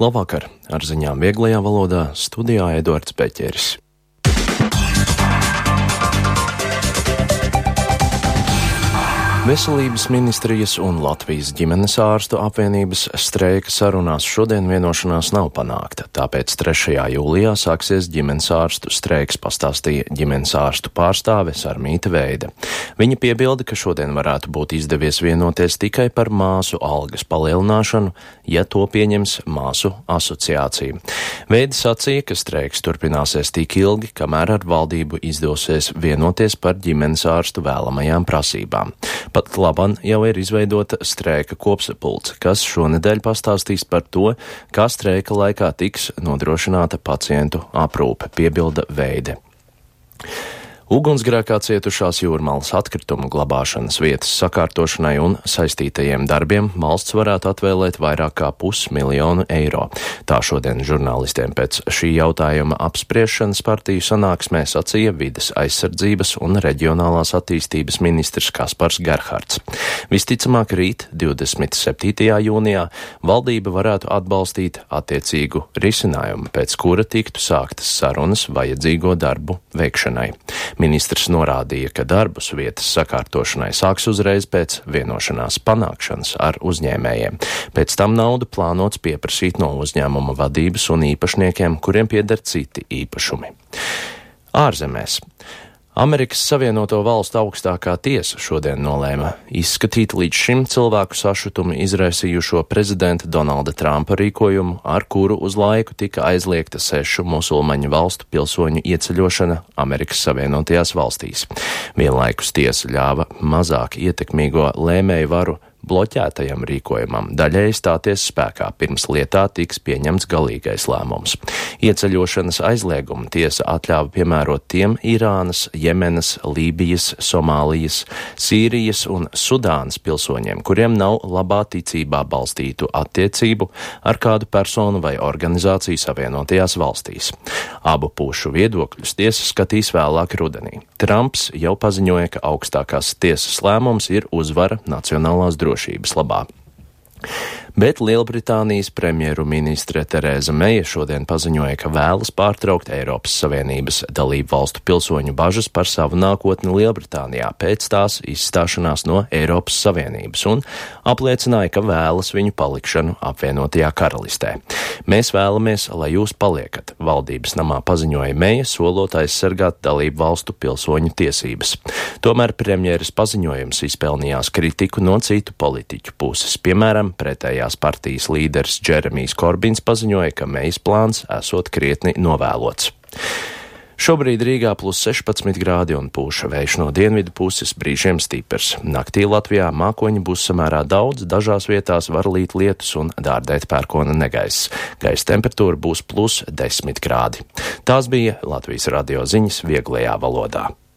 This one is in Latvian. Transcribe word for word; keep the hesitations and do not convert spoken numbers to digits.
Labvakar, ar ziņām vieglajā valodā studijā Eduards Beķeris. Veselības ministrijas un Latvijas ģimenes ārstu apvienības streika sarunās šodien vienošanās nav panākta, tāpēc trešajā jūlijā sāksies ģimenes ārstu streiks, pastāstīja ģimenes ārstu pārstāve Sarmīta Veide. Viņa piebilda, ka šodien varētu būt izdevies vienoties tikai par māsu algas palielināšanu, ja to pieņems māsu asociācija. Veide sacīja, ka streiks turpināsies tik ilgi, kamēr ar valdību izdosies vienoties par ģimenes ārstu vēlamajām prasībām. Pat laban jau ir izveidota streika kopsapulce, kas šonedēļ pastāstīs par to, kā streika laikā tiks nodrošināta pacientu aprūpe, piebilda Veide. Ugunsgrēkā cietušās Jūrmalas atkritumu glabāšanas vietas sakārtošanai un saistītajiem darbiem valsts varētu atvēlēt vairāk kā pusmiljonu eiro. Tā šodien žurnālistiem pēc šī jautājuma apspriešanas partiju sanāksmē sacīja vides aizsardzības un reģionālās attīstības ministrs Kaspars Gerhards. Visticamāk rīt, divdesmit septītajā jūnijā, valdība varētu atbalstīt attiecīgu risinājumu, pēc kura tiktu sāktas sarunas vajadzīgo darbu veikšanai. Ministrs norādīja, ka darbus vietas sakārtošanai sāks uzreiz pēc vienošanās panākšanas ar uzņēmējiem. Pēc tam naudu plānots pieprasīt no uzņēmuma vadības un īpašniekiem, kuriem pieder citi īpašumi. Ārzemēs. Amerikas Savienoto Valstu augstākā tiesa šodien nolēma izskatīt līdz šim cilvēku sašutumu izraisījušo prezidenta Donalda Trumpa rīkojumu, ar kuru uz laiku tika aizliegta sešu musulmaņu valstu pilsoņu ieceļošana Amerikas Savienotajās valstīs. Vienlaikus tiesa ļāva mazāk ietekmīgo lēmēju varu bloķētajam rīkojumam daļēji stāties spēkā, pirms lietā tiks pieņemts galīgais lēmums. Ieceļošanas aizliegumu tiesa atļāva piemērot tiem Irānas, Jemenas, Lībijas, Somālijas, Sīrijas un Sudānas pilsoņiem, kuriem nav labā ticībā balstītu attiecību ar kādu personu vai organizāciju Savienotajās valstīs. Abu pušu viedokļus tiesa skatīs vēlāk rudenī. Trumps jau paziņoja, ka augstākās tiesas lēmums ir uzvara nacionālās drošības labā. Bet Lielbritānijas premjeru ministre Terēza Meija šodien paziņoja, ka vēlas pārtraukt Eiropas Savienības dalību valstu pilsoņu bažas par savu nākotni Lielbritānijā pēc tās izstāšanās no Eiropas Savienības un apliecināja, ka vēlas viņu palikšanu apvienotajā karalistē. Mēs vēlamies, lai jūs paliekat, valdības namā paziņoja Meija, solot aizsargāt dalību valstu pilsoņu tiesības. Tomēr premjeras paziņojums izpelnījās kritiku no citu politiķu puses, piemēram, pretējās partijas līderis Džeremijs Korbins paziņoja, ka Meijas plāns esot krietni novēlots. Šobrīd Rīgā plus sešpadsmit grādi un pūša vējš no dienvidu puses, brīžiem stiprs. Naktī Latvijā mākoņi būs samērā daudz, dažās vietās var līt lietus un dārdēt pērkona negaiss. Gaisa temperatūra būs plus desmit grādi. Tās bija Latvijas radio ziņas vieglajā valodā.